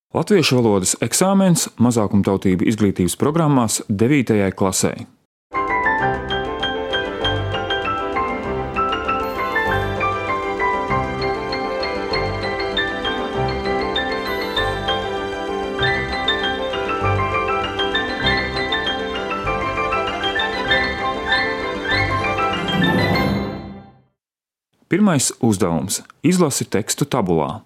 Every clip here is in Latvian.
Latviešu valodas eksāmens mazākumtautību izglītības programmās 9. klasē. Pirmais uzdevums – izlasi tekstu tabulā.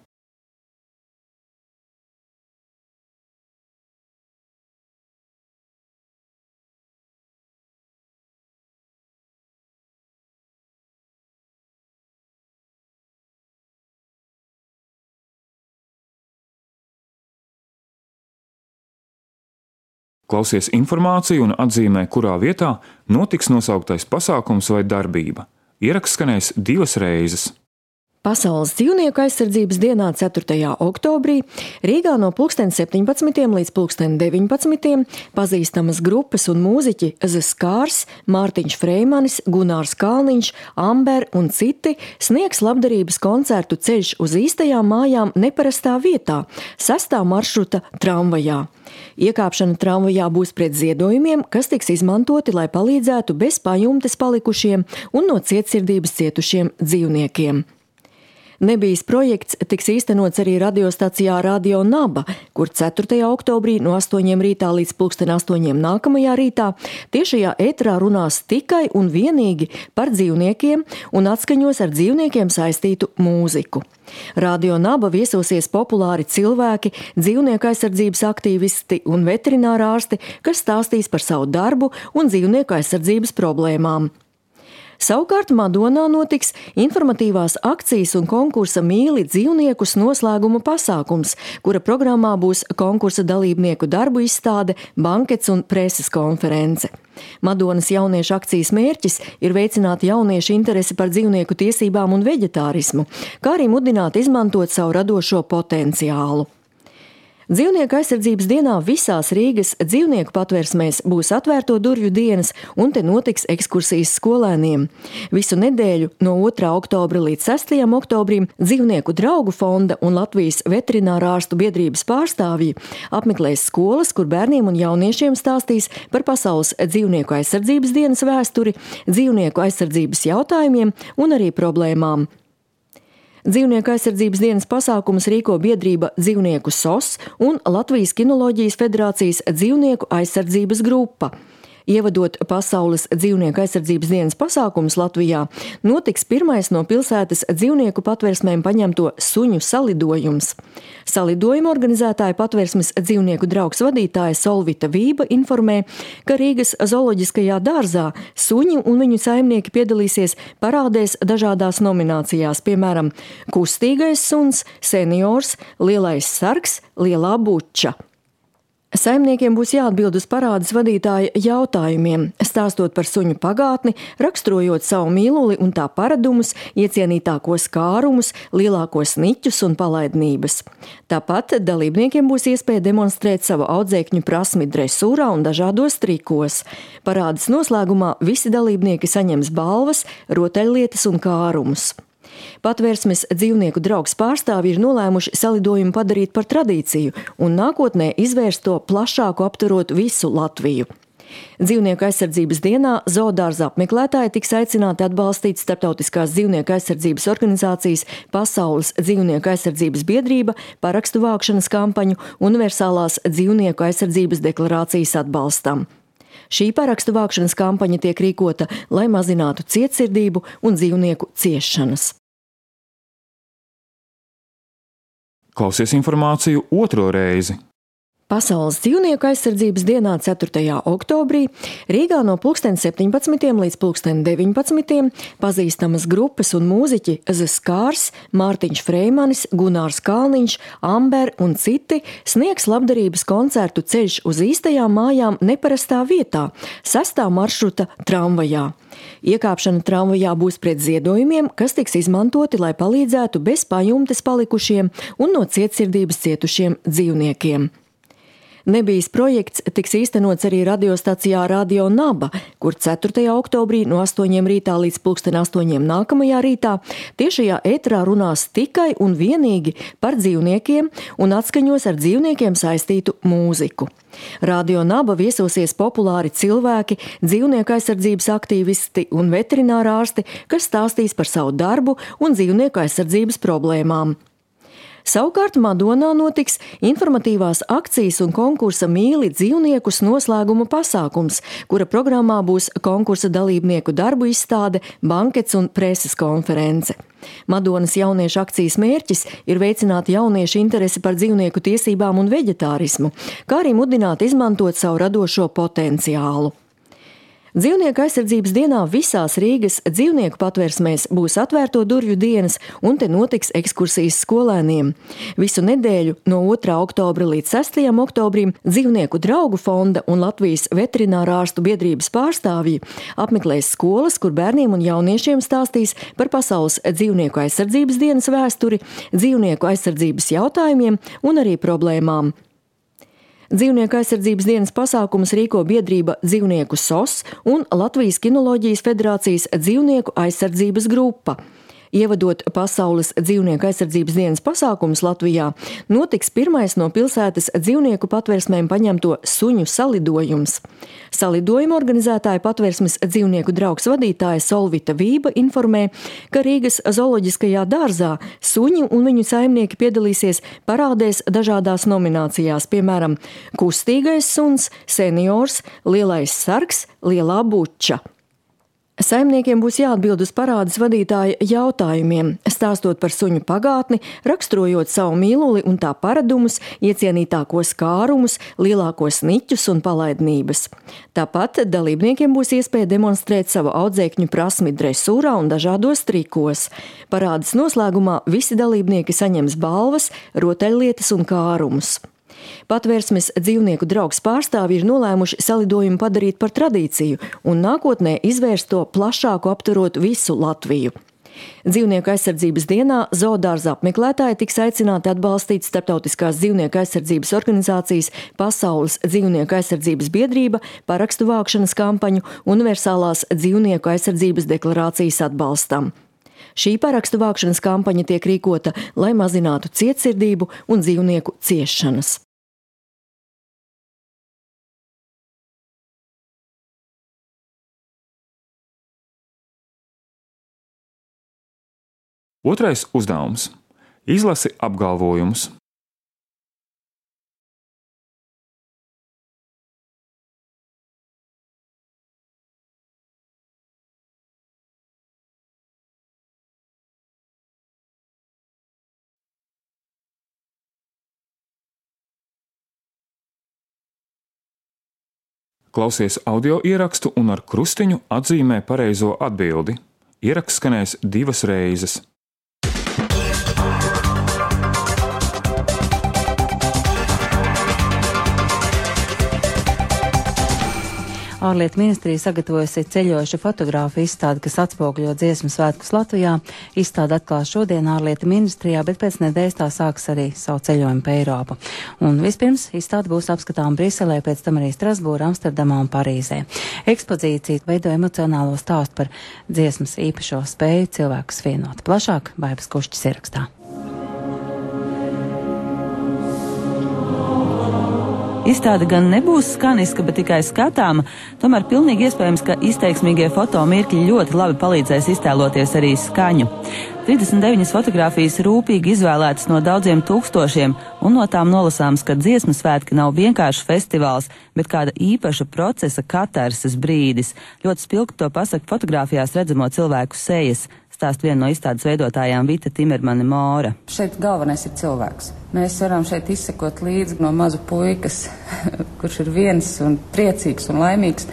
Klausies informāciju un atzīmē, kurā vietā notiks nosauktais pasākums vai darbība. Ieraksts skanēs 2 reizes. Pasaules dzīvnieku aizsardzības dienā 4. oktobrī Rīgā no 17. līdz 19. pazīstamas grupas un mūziķi The Scars, Mārtiņš Freimanis, Gunārs Kalniņš, Amber un citi sniegs labdarības koncertu Ceļš uz īstajām mājām neparastā vietā, 6. maršruta tramvajā. Iekāpšana tramvajā būs pret ziedojumiem, kas tiks izmantoti, lai palīdzētu bez pajumtes palikušiem un no cietsirdības cietušiem dzīvniekiem. Nebijis projekts tiks īstenots arī radiostacijā Radio Naba, kur 4. oktobrī no 8 rītā līdz 8 nākamajā rītā tiešajā ēterā runās tikai un vienīgi par dzīvniekiem un atskaņos ar dzīvniekiem saistītu mūziku. Radio Naba viesosies populāri cilvēki, dzīvnieku aizsardzības aktīvisti un veterinārārsti, kas stāstīs par savu darbu un dzīvnieku aizsardzības problēmām. Savukārt Madonā notiks informatīvās akcijas un konkursa Mīli dzīvniekus noslēguma pasākums, kura programmā būs konkursa dalībnieku darbu izstāde, bankets un preses konference. Madonas jauniešu akcijas mērķis ir veicināt jauniešu interesi par dzīvnieku tiesībām un veģetārismu, kā arī mudināt izmantot savu radošo potenciālu. Dzīvnieku aizsardzības dienā visās Rīgas dzīvnieku patversmēs būs atvērto durvju dienas un te notiks ekskursijas skolēniem. Visu nedēļu no 2. oktobra līdz 6. oktobrim Dzīvnieku draugu fonda un Latvijas veterinārārstu biedrības pārstāvji apmeklēs skolas, kur bērniem un jauniešiem stāstīs par pasaules dzīvnieku aizsardzības dienas vēsturi, dzīvnieku aizsardzības jautājumiem un arī problēmām. Dzīvnieku aizsardzības dienas pasākumus rīko biedrība Dzīvnieku SOS un Latvijas Kinoloģijas federācijas dzīvnieku aizsardzības grupa. Ievadot pasaules dzīvnieku aizsardzības dienas pasākumus Latvijā, notiks pirmais no pilsētas dzīvnieku patversmēm paņemto suņu salidojums. Salidojuma organizētāja patversmes dzīvnieku draugs vadītāja Solvita Vība informē, ka Rīgas zooloģiskajā dārzā suņi un viņu saimnieki piedalīsies parādēs dažādās nominācijās, piemēram, kustīgais suns, seniors, lielais sargs, lielā buča. Saimniekiem būs jāatbild uz parādes vadītāja jautājumiem, stāstot par suņu pagātni, raksturojot savu mīluli un tā paradumus, iecienītākos kārumus, lielākos niķus un palaidnības. Tāpat dalībniekiem būs iespēja demonstrēt savu audzēkņu prasmi dresūrā un dažādos trikos. Parādes noslēgumā visi dalībnieki saņems balvas, rotaļlietas un kārumus. Patvērsmes dzīvnieku draugs pārstāvji ir nolēmuši salidojumu padarīt par tradīciju un nākotnē izvērst to plašāku aptverot visu Latviju. Dzīvnieku aizsardzības dienā zoodārza apmeklētāji tiks aicināti atbalstīt starptautiskās dzīvnieku aizsardzības organizācijas Pasaules dzīvnieku aizsardzības biedrība parakstu vākšanas kampaņu Universālās dzīvnieku aizsardzības deklarācijas atbalstam. Šī parakstu vākšanas kampaņa tiek rīkota, lai mazinātu cietsirdību un dzīvnieku ciešanas. Klausies informāciju 2. reizi. Pasaules dzīvnieku aizsardzības dienā 4. oktobrī Rīgā no 17. līdz 19. pazīstamas grupas un mūziķi The Scars, Mārtiņš Freimanis, Gunārs Kalniņš, Amber un citi sniegs labdarības koncertu Ceļš uz īstajām mājām neparastā vietā, 6. maršruta tramvajā. Iekāpšana tramvajā būs pret ziedojumiem, kas tiks izmantoti, lai palīdzētu bez pajumtes palikušiem un no cietsirdības cietušiem dzīvniekiem. Nebijis projekts tiks īstenots arī radiostacijā Radio Naba, kur 4. oktobrī no 8 rītā līdz 8 nākamajā rītā tiešajā ēterā runās tikai un vienīgi par dzīvniekiem un atskaņos ar dzīvniekiem saistītu mūziku. Radio Naba viesosies populāri cilvēki, dzīvnieku aizsardzības aktīvisti un veterinārārsti, kas stāstīs par savu darbu un dzīvnieku aizsardzības problēmām. Savukārt Madonā notiks informatīvās akcijas un konkursa Mīli dzīvniekus noslēguma pasākums, kura programmā būs konkursa dalībnieku darbu izstāde, bankets un preses konference. Madonas jauniešu akcijas mērķis ir veicināt jauniešu interesi par dzīvnieku tiesībām un veģetārismu, kā arī mudināt izmantot savu radošo potenciālu. Dzīvnieku aizsardzības dienā visās Rīgas dzīvnieku patvērsmēs būs atvērto durvju dienas un te notiks ekskursijas skolēniem. Visu nedēļu no 2. oktobra līdz 6. oktobrim Dzīvnieku draugu fonda un Latvijas veterinārārstu biedrības pārstāvji apmeklēs skolas, kur bērniem un jauniešiem stāstīs par pasaules dzīvnieku aizsardzības dienas vēsturi, dzīvnieku aizsardzības jautājumiem un arī problēmām. Dzīvnieku aizsardzības dienas pasākumus rīko biedrība Dzīvnieku SOS un Latvijas Kinoloģijas federācijas dzīvnieku aizsardzības grupa. Ievadot pasaules dzīvnieku aizsardzības dienas pasākumus Latvijā, notiks pirmais no pilsētas dzīvnieku patvērsmēm paņemto suņu salidojums. Salidojuma organizētāja patvērsmes dzīvnieku draugs vadītāja Solvita Vība informē, ka Rīgas zooloģiskajā dārzā suņi un viņu saimnieki piedalīsies parādēs dažādās nominācijās, piemēram, kustīgais suns, seniors, lielais sargs, lielā buča. Saimniekiem būs jāatbild uz parādes vadītāja jautājumiem, stāstot par suņu pagātni, raksturojot savu mīluli un tā paradumus, iecienītākos kārumus, lielākos niķus un palaidnības. Tāpat dalībniekiem būs iespēja demonstrēt savu audzēkņu prasmi dresūrā un dažādos trikos. Parādes noslēgumā visi dalībnieki saņems balvas, rotaļlietas un kārumus. Patvērsmes dzīvnieku draugs pārstāvji ir nolēmuši salidojumu padarīt par tradīciju un nākotnē izvērst to plašāku aptverot visu Latviju. Dzīvnieku aizsardzības dienā zoodārza apmeklētāji tiks aicināti atbalstīt starptautiskās dzīvnieku aizsardzības organizācijas Pasaules dzīvnieku aizsardzības biedrība parakstu vākšanas kampaņu Universālās dzīvnieku aizsardzības deklarācijas atbalstam. Šī parakstu vākšanas kampaņa tiek rīkota, lai mazinātu cietsirdību un dzīvnieku ciešanas. Otrais uzdevums – izlasi apgalvojumus. Klausies audio ierakstu un ar krustiņu atzīmē pareizo atbildi. Ieraksts skanēs 2 reizes. Ārlietu ministrija sagatavojusi ceļojošu fotogrāfu izstādi, kas atspoguļo dziesmu svētkus Latvijā. Izstāde atklās šodien Ārlietu ministrijā, bet pēc nedēļas tā sāks arī savu ceļojumu pa Eiropu. Un vispirms izstāde būs apskatām Briselē, pēc tam arī Strasbūrā, Amsterdamā un Parīzē. Ekspozīcija veido emocionālo stāstu par dziesmas īpašo spēju cilvēkus vienot. Plašāk Vaibas Kušķis ierakstā. Izstāde gan nebūs skaniska, bet tikai skatāma, tomēr pilnīgi iespējams, ka izteiksmīgie fotomirkļi ļoti labi palīdzēs iztēloties arī skaņu. 39 fotogrāfijas rūpīgi izvēlētas no daudziem tūkstošiem, un no tām nolasāms, ka dziesmu svētki nav vienkārši festivāls, bet kāda īpaša procesa katarses brīdis. Ļoti spilgti to pasaka fotogrāfijās redzamo cilvēku sejas. Stāst viena no izstādes veidotājām Vita Timermane Mora. Šeit galvenais ir cilvēks. Mēs varam šeit izsekot līdzi no mazu puikas, kurš ir viens un priecīgs un laimīgs,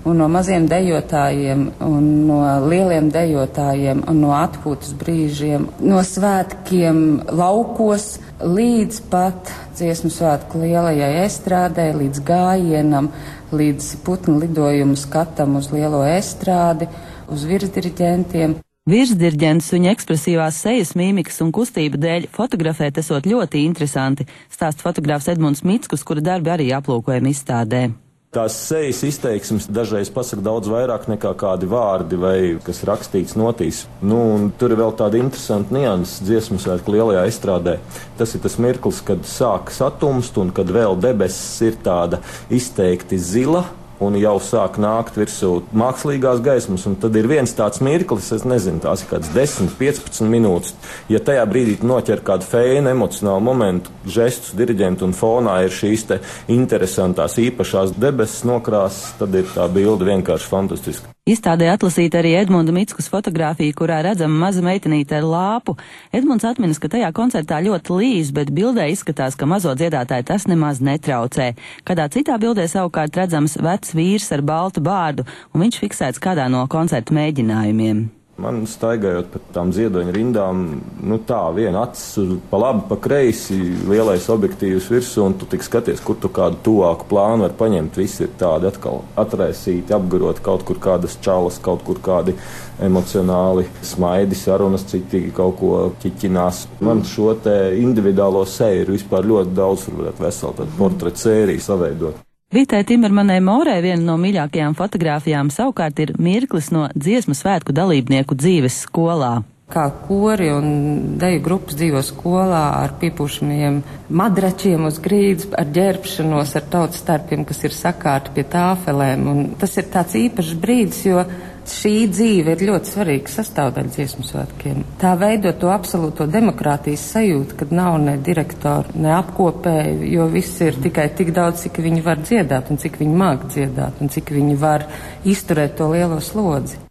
un no maziem dejotājiem, un no lieliem dejotājiem, un no atpūtas brīžiem, no svētkiem laukos, līdz pat dziesmu svētku lielajai estrādē, līdz gājienam, līdz putnu lidojumu skatam uz lielo estrādi, uz virsdiriģentiem. Virsdirģents viņa ekspresīvās sejas, mīmikas un kustību dēļ fotografēt esot ļoti interesanti, stāsta fotogrāfs Edmunds Mickus, kura darbi arī aplūkojami izstādē. Tās sejas izteiksmes dažreiz pasaka daudz vairāk nekā kādi vārdi vai kas rakstīts notīs. Un tur ir vēl tāda interesanta nianses dziesmu svētku lielajā estrādē. Tas ir tas mirklis, kad sāk satumst un kad vēl debesis ir tāda izteikti zila. Un jau sāk nākt virsū mākslīgās gaismas, un tad ir viens tāds mirklis, es nezinu, tās ir kāds 10-15 minūtes. Ja tajā brīdī noķer kādu feinu, emocionālu momentu, žestus, diriģentu un fonā ir šīs te interesantās īpašās debesis nokrāsas, tad ir tā bilde vienkārši fantastiska. Izstādē atlasīta arī Edmunda Mickus fotogrāfija, kurā redzama maza meitenīte ar lāpu. Edmunds atminas, ka tajā koncertā ļoti līs, bet bildē izskatās, ka mazo dziedātāju tas nemaz netraucē. Kādā citā bildē savukārt redzams vecs vīrs ar baltu bārdu, un viņš fiksēts kādā no koncertu mēģinājumiem. Man staigājot pa tām ziedoņa rindām, tā viena acis pa labi, pa kreisi, lielais objektīvs virsū, un tu tik skaties, kur tu kādu tuvāku plānu var paņemt. Visi ir tādi atkal atraisīti, apgaroti, kaut kur kādas čalas, kaut kur kādi emocionāli smaidi, sarunas, citi kaut ko ķiķinās. Man šo te individuālo seju ir vispār ļoti daudz, varētu veselu tādu portretu sēriju saveidot. Vitai Timermanai Morai viena no mīļākajām fotogrāfijām savukārt ir mirklis no dziesmu svētku dalībnieku dzīves skolā. Kā kori un deju grupas dzīvo skolā ar piepūšamiem madračiem uz grīdas, ar ģērbšanos, ar tautas starpiem, kas ir sakārti pie tāfelēm. Un tas ir tāds īpašs brīdis, jo šī dzīve ir ļoti svarīga sastāvdaļa dziesmu svētkiem. Tā veido to absolūto demokrātijas sajūtu, kad nav ne direktoru, ne apkopēju, jo viss ir tikai tik daudz, cik viņi var dziedāt un cik viņi māk dziedāt un cik viņi var izturēt to lielo slodzi.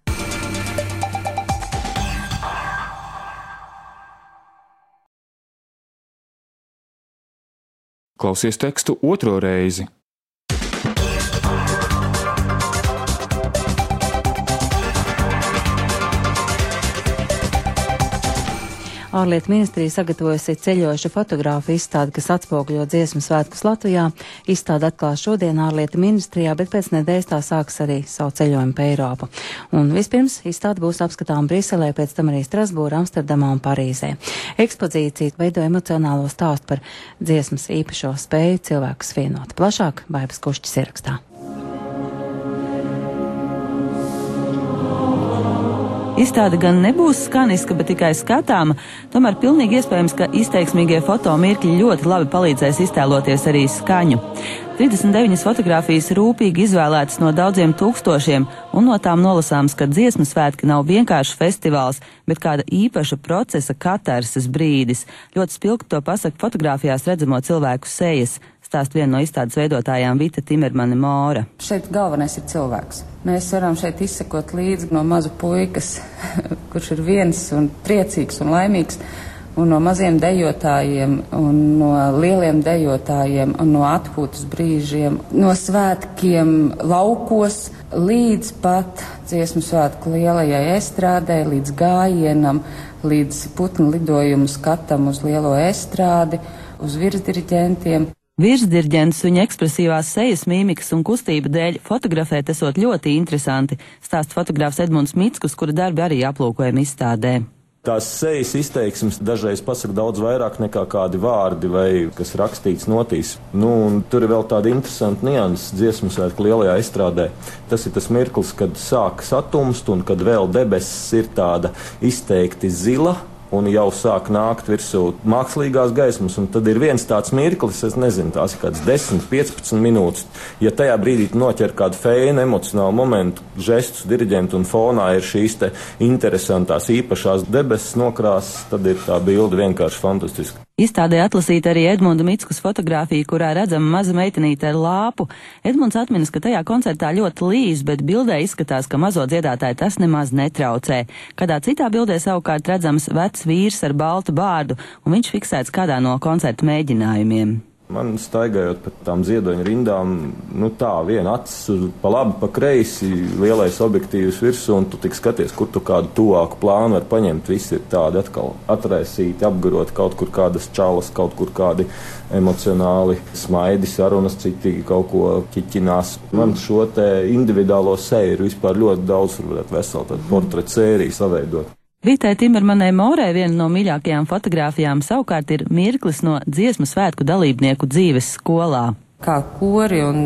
Klausies tekstu otro reizi. Ārlietu ministrija sagatavojusi ceļojošu fotogrāfu izstādi, kas atspoguļo dziesmu svētkus Latvijā. Izstāde atklās šodien Ārlietu ministrijā, bet pēc nedēļas tā sāks arī savu ceļojumu pa Eiropu. Un vispirms izstāde būs apskatām Briselē, pēc tam arī Strasbūrā, Amsterdamā un Parīzē. Ekspozīcija veido emocionālo stāstu par dziesmas īpašo spēju cilvēkus vienot. Plašāk Baibas Kušķis ierakstā. Izstāde gan nebūs skaniska, bet tikai skatāma, tomēr pilnīgi iespējams, ka izteiksmīgie fotomirkļi ļoti labi palīdzēs iztēloties arī skaņu. 39 fotogrāfijas rūpīgi izvēlētas no daudziem tūkstošiem, un no tām nolasāms, ka dziesmu svētki nav vienkārši festivāls, bet kāda īpaša procesa katarses brīdis. Ļoti spilgti to pasaka fotogrāfijās redzamo cilvēku sejas, stāst viena no izstādes veidotājām Vita Timermane Mora. Šeit galvenais ir cilvēks. Mēs varam šeit izsekot līdzi no maza puikas, kurš ir viens un priecīgs un laimīgs, un no maziem dejotājiem, un no lieliem dejotājiem, un no atpūtas brīžiem, no svētkiem laukos, līdz pat dziesmu svētku lielajai estrādē, līdz gājienam, līdz putnu lidojumu skatam uz lielo estrādi, uz virsdiriģentiem. Virsdirģents viņa ekspresīvās sejas, mīmikas un kustību dēļ fotografēt esot ļoti interesanti, stāsta fotogrāfs Edmunds Mickus, kura darbi arī aplūkojami izstādē. Tās sejas izteiksmes dažreiz pasaka daudz vairāk nekā kādi vārdi vai kas rakstīts notīs. Un tur ir vēl tāda interesanta nianses dziesmu svētku lielajā estrādē. Tas ir tas mirklis, kad sāk satumst un kad vēl debesis ir tāda izteikti zila. Un jau sāk nākt virsū mākslīgās gaismas, un tad ir viens tāds mirklis, es nezinu, tās ir kāds 10-15 minūtes. Ja tajā brīdī noķer kādu feinu, emocionālu momentu, žestus, diriģentu un fonā ir šīs te interesantās īpašās debesis nokrāsas, tad ir tā bilde vienkārši fantastiska. Izstādē atlasīta arī Edmunda Mickus fotogrāfija, kurā redzama maza meitenīte ar lāpu. Edmunds atminas, ka tajā koncertā ļoti līs, bet bildē izskatās, ka mazo dziedātāju tas nemaz netraucē. Kādā citā bildē savukārt redzams vecs vīrs ar baltu bārdu, un viņš fiksēts kādā no koncertu mēģinājumiem. Man staigājot pa tām ziedoņa rindām, tā viena acis pa labi, pa kreisi, lielais objektīvs virsū, un tu tik skaties, kur tu kādu tuvāku plānu var paņemt. Visi ir tādi atkal atraisīti, apgaroti, kaut kur kādas čalas, kaut kur kādi emocionāli smaidi, sarunas, citi kaut ko ķiķinās. Man šo te individuālo seju ir vispār ļoti daudz, varētu veselu tādu portretu sēriju saveidot. Vitai Timermanai Morai viena no mīļākajām fotogrāfijām savukārt ir mirklis no dziesmu svētku dalībnieku dzīves skolā. Kā kori un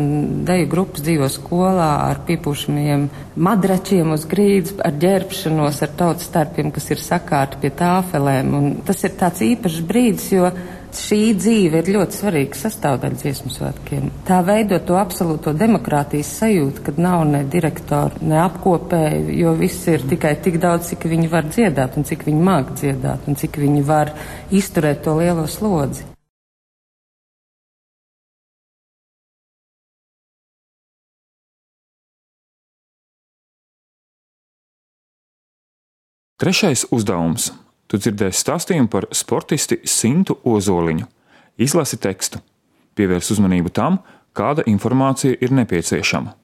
deju grupas dzīvo skolā ar piepušamiem madračiem uz grīdas, ar ģērbšanos, ar tautas starpiem, kas ir sakārti pie tāfelēm. Un tas ir tāds īpašs brīdis, jo šī dzīve ir ļoti svarīga sastāvdaļa dziesmu svētkiem. Tā veido to absolūto demokrātijas sajūtu, kad nav ne direktori, ne apkopēji, jo viss ir tikai tik daudz, cik viņi var dziedāt un cik viņi māk dziedāt un cik viņi var izturēt to lielo slodzi. Trešais uzdevums. Tu dzirdēsi stāstījumu par sportisti Sintu Ozoliņu. Izlasi tekstu. Pievērs uzmanību tam, kāda informācija ir nepieciešama.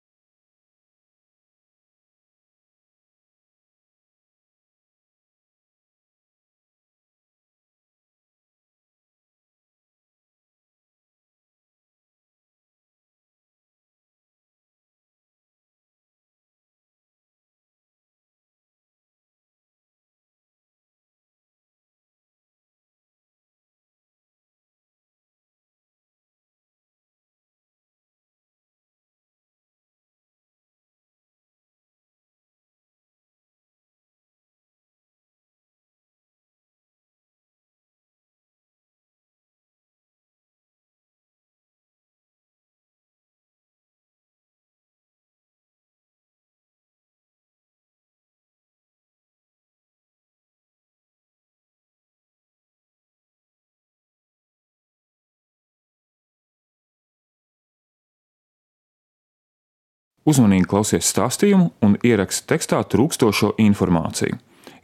Uzmanīgi klausies stāstījumu un ieraksti tekstā trūkstošo informāciju.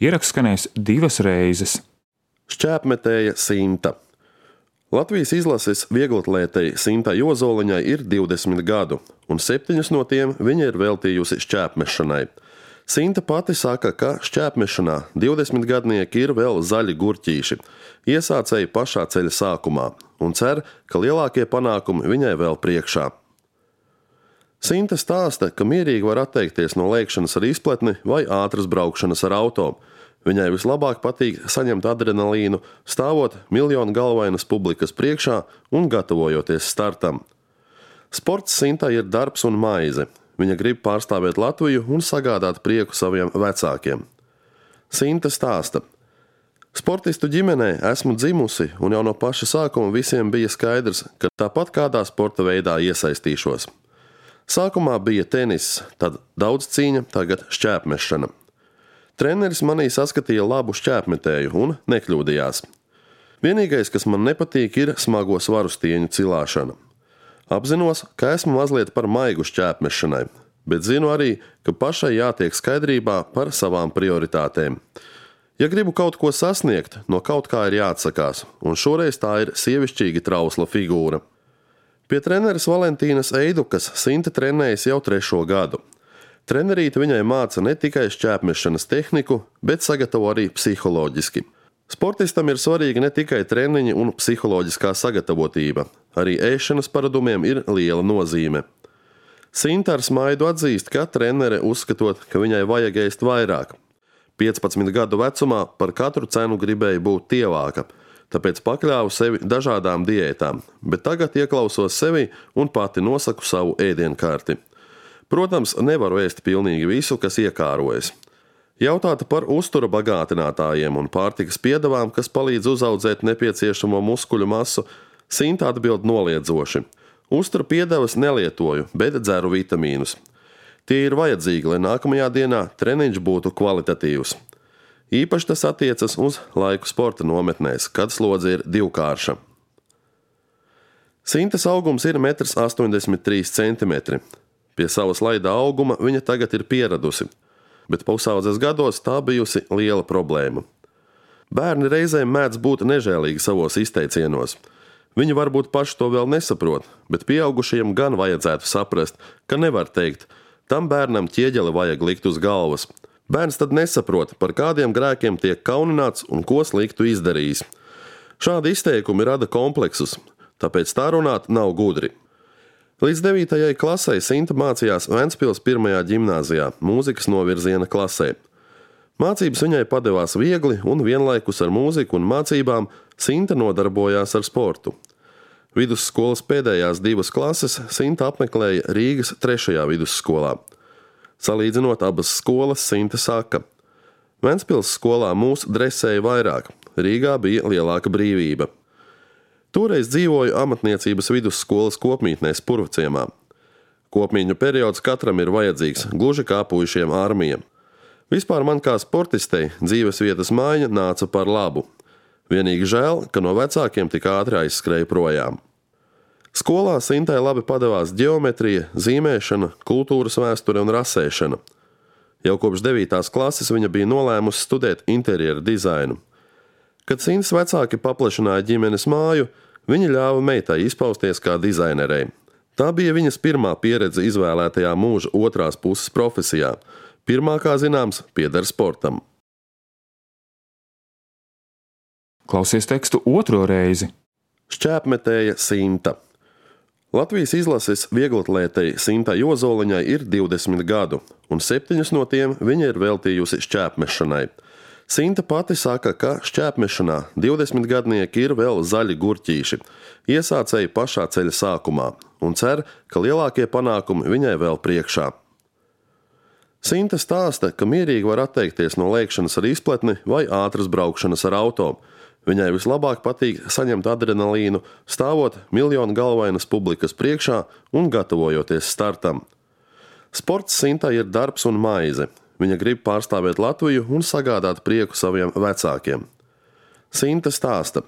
Ieraksts skanēs 2 reizes. Šķēpmetēja Sinta. Latvijas izlases vieglatlētei Sintai Ozoliņai ir 20 gadu, un 7 no tiem viņa ir veltījusi šķēpmešanai. Sinta pati saka, ka šķēpmešanā 20 gadnieki ir vēl zaļi gurķīši, iesācēji pašā ceļa sākumā, un cer, ka lielākie panākumi viņai vēl priekšā. Sinta stāsta, ka mierīgi var atteikties no lēkšanas ar izpletni vai ātras braukšanas ar auto. Viņai vislabāk patīk saņemt adrenalīnu, stāvot miljonu galvainas publikas priekšā un gatavojoties startam. Sports Sintai ir darbs un maize. Viņa grib pārstāvēt Latviju un sagādāt prieku saviem vecākiem. Sinta stāsta. Sportistu ģimenē esmu dzimusi, un jau no paša sākuma visiem bija skaidrs, ka tāpat kādā sporta veidā iesaistīšos. Sākumā bija tenis, tad daudz cīņa, tagad šķēpmešana. Treneris manī saskatīja labu šķēpmetēju un nekļūdījās. Vienīgais, kas man nepatīk, ir smago svaru stieņu cilāšana. Apzinos, ka esmu mazliet par maigu šķēpmešanai, bet zinu arī, ka pašai jātiek skaidrībā par savām prioritātēm. Ja gribu kaut ko sasniegt, no kaut kā ir jāatsakās, un šoreiz tā ir sievišķīgi trausla figūra. Pie treneres Valentīnas Eidukas Sinta trenējas jau 3. gadu. Trenerīte viņai māca ne tikai šķēpmešanas tehniku, bet sagatavo arī psiholoģiski. Sportistam ir svarīga ne tikai treniņi un psiholoģiskā sagatavotība, arī ēšanas paradumiem ir liela nozīme. Sinta ar smaidu atzīst, ka trenere uzskatot, ka viņai vajag ēst vairāk. 15 gadu vecumā par katru cenu gribēja būt tievāka, tāpēc pakļāvu sevi dažādām diētām, bet tagad ieklausos sevi un pati nosaku savu ēdienkarti. Protams, nevaru ēst pilnīgi visu, kas iekārojas. Jautāta par uztura bagātinātājiem un pārtikas piedevām, kas palīdz uzaudzēt nepieciešamo muskuļu masu, Sinta atbild noliedzoši. Uztura piedevas nelietoju, bet dzeru vitamīnus. Tie ir vajadzīgi, lai nākamajā dienā treniņš būtu kvalitatīvs. Īpaši tas attiecas uz laiku sporta nometnēs, kad slodze ir divkārša. Sintas augums ir 1,83 cm. Pie savas laida auguma viņa tagad ir pieradusi, bet pusaudzes gados tā bijusi liela problēma. Bērni reizēm mēdz būt nežēlīgi savos izteicienos. Viņi varbūt paši to vēl nesaprot, bet pieaugušajiem gan vajadzētu saprast, ka nevar teikt, tam bērnam ķieģeli vajag likt uz galvas. Bērns tad nesaprot, par kādiem grēkiem tiek kaunināts un ko sliktu izdarījis. Šādi izteikumi rada kompleksus, tāpēc tā runāt nav gudri. Līdz 9. klasei Sinta mācījās Ventspils 1. ģimnāzijā, mūzikas novirziena klasē. Mācības viņai padevās viegli un vienlaikus ar mūziku un mācībām Sinta nodarbojās ar sportu. Vidusskolas pēdējās 2 klases Sinta apmeklēja Rīgas 3. vidusskolā. Salīdzinot abas skolas, Sinta saka: Ventspils skolā mūs dresēja vairāk, Rīgā bija lielāka brīvība. Toreiz dzīvoju amatniecības vidusskolas kopmītnē Spurvciemā. Kopmīņu periods katram ir vajadzīgs, gluži kā puišiem armija. Vispār man kā sportistei dzīves vietas maiņa nāca par labu. Vienīgi žēl, ka no vecākiem tik ātri aizskrēja projām. Skolā Sintai labi padevās ģeometrija, zīmēšana, kultūras vēsture un rasēšana. Jau kopš 9. klases viņa bija nolēmusi studēt interjera dizainu. Kad Sintas vecāki paplašināja ģimenes māju, viņi ļāva meitai izpausties kā dizainerei. Tā bija viņas pirmā pieredze izvēlētajā mūža otrās puses profesijā. Pirmā, kā zināms, pieder sportam. Klausies tekstu otro reizi. Šķēpmetēja Sinta. Latvijas izlases vieglatlētei Sintai Ozoliņai ir 20 gadu, un 7 no tiem viņa ir veltījusi šķēpmešanai. Sinta pati saka, ka šķēpmešanā 20 gadnieki ir vēl zaļi gurķīši, iesācēji pašā ceļa sākumā, un cer, ka lielākie panākumi viņai vēl priekšā. Sinta stāsta, ka mierīgi var atteikties no lēkšanas ar izpletni vai ātras braukšanas ar auto. Viņai vislabāk patīk saņemt adrenalīnu, stāvot miljonu galvainas publikas priekšā un gatavojoties startam. Sports Sintai ir darbs un maize. Viņa grib pārstāvēt Latviju un sagādāt prieku saviem vecākiem. Sinta stāsta: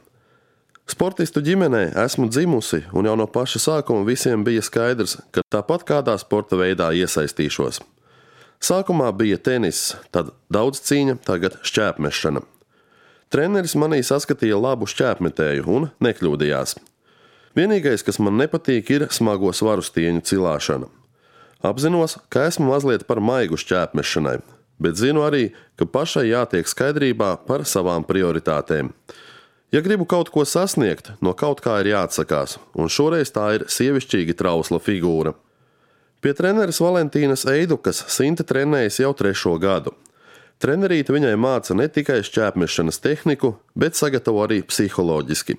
Sportistu ģimenē esmu dzimusi, un jau no paša sākuma visiem bija skaidrs, ka tāpat kādā sporta veidā iesaistīšos. Sākumā bija tenis, tad daudz cīņa, tagad šķēpmešana. Treneris manī saskatīja labu šķēpmetēju un nekļūdījās. Vienīgais, kas man nepatīk, ir smago svaru stieņu cilāšana. Apzinos, ka esmu mazliet par maigu šķēpmešanai, bet zinu arī, ka pašai jātiek skaidrībā par savām prioritātēm. Ja gribu kaut ko sasniegt, no kaut kā ir jāatsakās, un šoreiz tā ir sievišķīgi trausla figūra. Pie treneris Valentīnas Eidukas Sinta trenējas jau 3. gadu. Trenerīte viņai māca ne tikai šķēpmešanas tehniku, bet sagatavo arī psiholoģiski.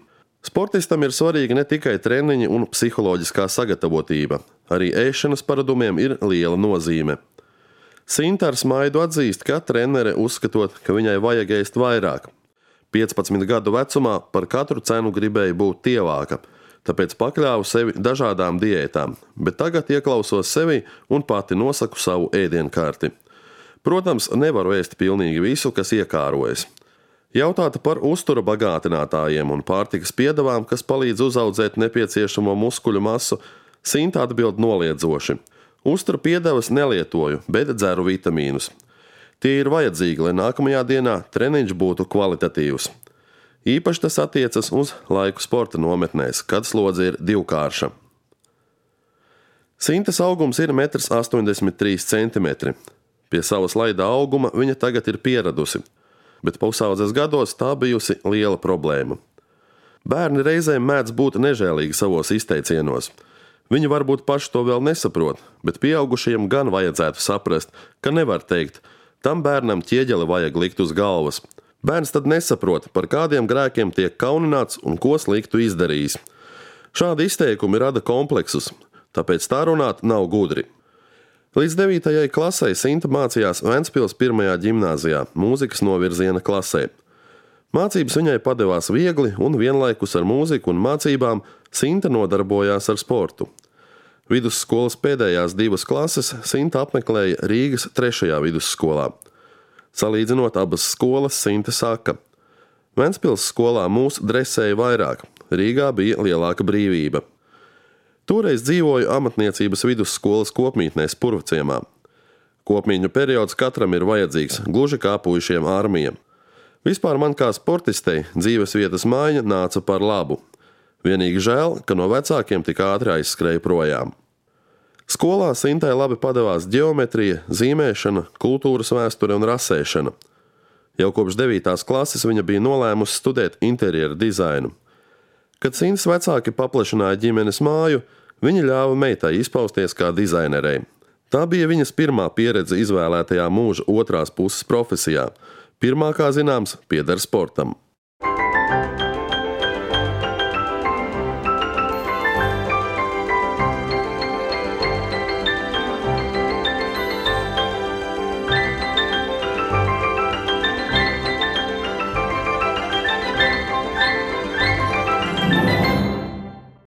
Sportistam ir svarīga ne tikai treniņi un psiholoģiskā sagatavotība, arī ēšanas paradumiem ir liela nozīme. Sinta ar smaidu atzīst, ka trenere uzskatot, ka viņai vajag ēst vairāk. 15 gadu vecumā par katru cenu gribēja būt tievāka, tāpēc pakļāvu sevi dažādām diētām, bet tagad ieklausos sevi un pati nosaku savu ēdienkarti. Protams, nevaru ēst pilnīgi visu, kas iekārojas. Jautāta par uztura bagātinātājiem un pārtikas piedevām, kas palīdz uzaudzēt nepieciešamo muskuļu masu, Sinta atbild noliedzoši: Uztura piedevas nelietoju, bet dzeru vitamīnus. Tie ir vajadzīgi, lai nākamajā dienā treniņš būtu kvalitatīvs. Īpaši tas attiecas uz laiku sporta nometnēs, kad slodze ir divkārša. Sintas augums ir 1,83 m. Pie sava slaida auguma viņa tagad ir pieradusi, bet pusaudzes gados tā bijusi liela problēma. Bērni reizēm mēdz būt nežēlīgi savos izteicienos. Viņi varbūt paši to vēl nesaprot, bet pieaugušajiem gan vajadzētu saprast, ka nevar teikt: tam bērnam ķieģeli vajag likt uz galvas. Bērns tad nesaprot, par kādiem grēkiem tiek kaunināts un ko sliktu izdarījis. Šādi izteikumi rada kompleksus, tāpēc tā runāt nav gudri. Līdz 9. klasei Sinta mācījās Ventspils 1. ģimnāzijā, mūzikas novirziena klasē. Mācības viņai padevās viegli un vienlaikus ar mūziku un mācībām Sinta nodarbojās ar sportu. Vidusskolas pēdējās 2 klases Sinta apmeklēja Rīgas 3. vidusskolā. Salīdzinot abas skolas, Sinta saka: Ventspils skolā mūs dresēja vairāk, Rīgā bija lielāka brīvība. Toreiz dzīvoju amatniecības vidusskolas kopmītnē Spurvciemā. Kopmīņu periods katram ir vajadzīgs, gluži kā puišiem armija. Vispār man kā sportistei dzīves vietas maiņa nāca par labu. Vienīgi žēl, ka no vecākiem tik ātri aizskrēja projām. Skolā Sintai labi padevās ģeometrija, zīmēšana, kultūras vēsture un rasēšana. Jau kopš 9. klases viņa bija nolēmusi studēt interjera dizainu. Kad Sintas vecāki paplašināja ģimenes māju, viņi ļāva meitai izpausties kā dizainerei. Tā bija viņas pirmā pieredze izvēlētajā mūža otrās puses profesijā. Pirmā, kā zināms, pieder sportam.